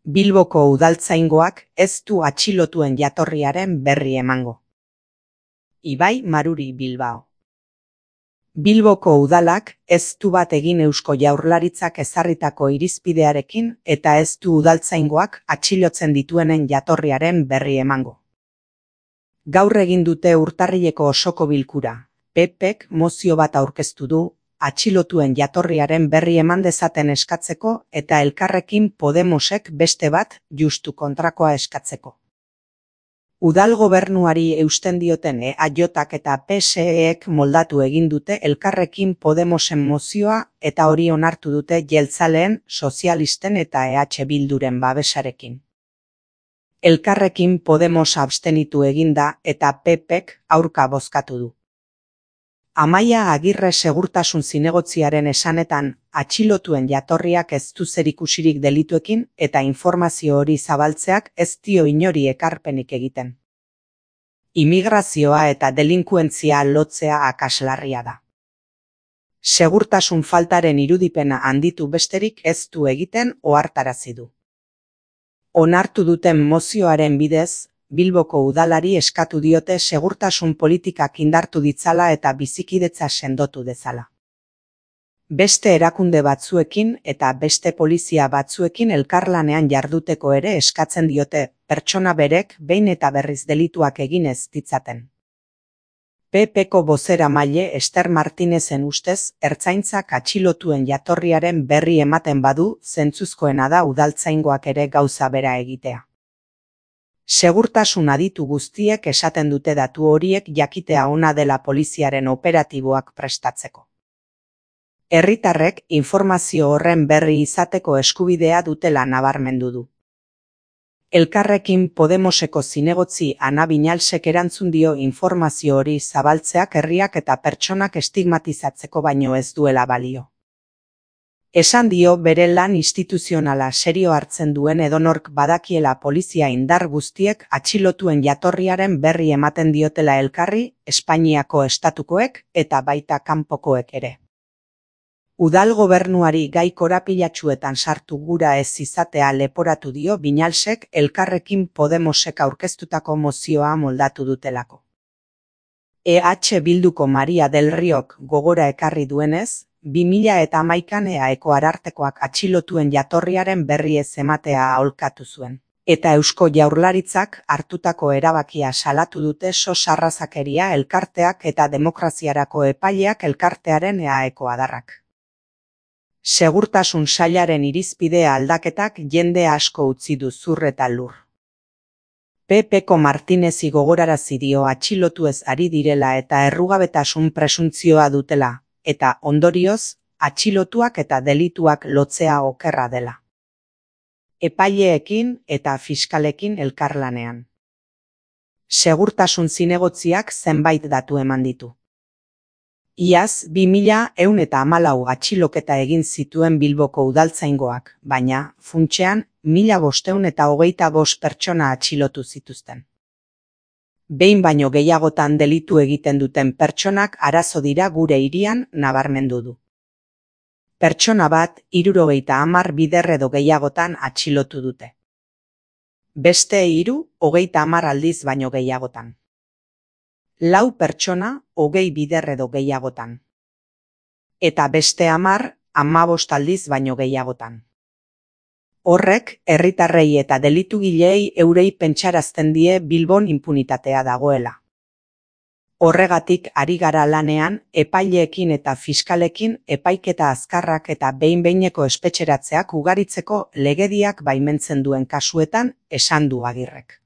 Bilboko udaltzaingoak ez du atxilotuen jatorriaren berri emango. Ibai Maruri Bilbao. Bilboko udalak ez du bat egin Eusko Jaurlaritzak ezarritako irizpidearekin eta ez du udaltzaingoak atxilotzen dituenen jatorriaren berri emango. Gaur egin dute urtarrileko osoko bilkura. PPk mozio bat aurkeztu du, atxilotuen jatorriaren berri eman dezaten eskatzeko eta Elkarrekin Podemosek beste bat justu kontrakoa eskatzeko. Udal gobernuari eusten dioten EAJak eta PSEek moldatu egin dute Elkarrekin Podemosen mozioa eta hori onartu dute jeltzaleen, sozialisten eta EH Bilduren babesarekin. Elkarrekin Podemos abstenitu eginda eta PPk aurka bozkatu du. Amaia Agirre segurtasun zinegotziaren esanetan, atxilotuen jatorriak ez du zerikusirik delituekin eta informazio hori zabaltzeak ez dio inori ekarpenik egiten. Immigrazioa eta delinkuentzia lotzea akaslarria da. Segurtasun faltaren irudipena handitu besterik ez du egiten ohartarazi du. Onartu duten mozioaren bidez, Bilboko udalari eskatu diote segurtasun politikak indartu ditzala eta bizikidetza sendotu dezala. Beste erakunde batzuekin eta beste polizia batzuekin elkarlanean jarduteko ere eskatzen diote, pertsona berek behin eta berriz delituak egin ez ditzaten. PPko bozeramaile Ester Martinezen ustez, ertzaintzak atxilotuen jatorriaren berri ematen badu, zentzuzkoena da udaltzaingoak ere gauza bera egitea. Segurtasun aditu guztiek esaten dute datu horiek jakitea ona dela poliziaren operatiboak prestatzeko. Herritarrek informazio horren berri izateko eskubidea dutela nabarmendu du. Elkarrekin Podemoseko zinegotzi Ana Binalsek erantzun dio informazio hori zabaltzeak herriak eta pertsonak estigmatizatzeko baino ez duela balio. Esan dio bere lan instituzionala serio hartzen duen edonork badakiela polizia indar guztiek atxilotuen jatorriaren berri ematen diotela elkarri, Espainiako estatukoek eta baita kanpokoek ere. Udal gobernuari gai korapilatsuetan sartu gura ez izatea leporatu dio Binalsek Elkarrekin Podemosek aurkeztutako mozioa moldatu dutelako. EH Bilduko Maria del Riok gogora ekarri duenez, 2011an EAeko arartekoak atxilotuen jatorriaren berri ez ematea aholkatu zuen. Eta Eusko Jaurlaritzak hartutako erabakia salatu dute SOS Arrazakeria elkarteak eta Demokraziarako epaileak elkartearen EAeko adarrak. Segurtasun sailaren irizpidea aldaketak jende asko utzi du zur eta lur. PPko Martinezi gogorarazi dio atxilotuez ari direla eta errugabetasun presuntzioa dutela, eta ondorioz, atxilotuak eta delituak lotzea okerra dela. Epaileekin eta fiskalekin elkarlanean. Segurtasun zinegotziak zenbait datu eman ditu. Iaz 2114 atxiloketa egin zituen Bilboko udaltzaingoak, baina, funtsean, 1525 pertsona atxilotu zituzten. Behin baino gehiagotan delitu egiten duten pertsonak arazo dira gure hirian nabarmendu du. Pertsona bat 70 bider edo gehiagotan atxilotu dute. Beste 30 aldiz baino gehiagotan. 4 pertsona 20 bider edo gehiagotan. Eta beste 15 aldiz baino gehiagotan. Horrek, herritarrei eta delitugileei eurei pentsarazten die Bilbon inpunitatea dagoela. Horregatik ari gara lanean, epaileekin eta fiskalekin epaiketa azkarrak eta behin-behineko espetxeratzeak ugaritzeko legediak baimentzen duen kasuetan, esan du Agirrek.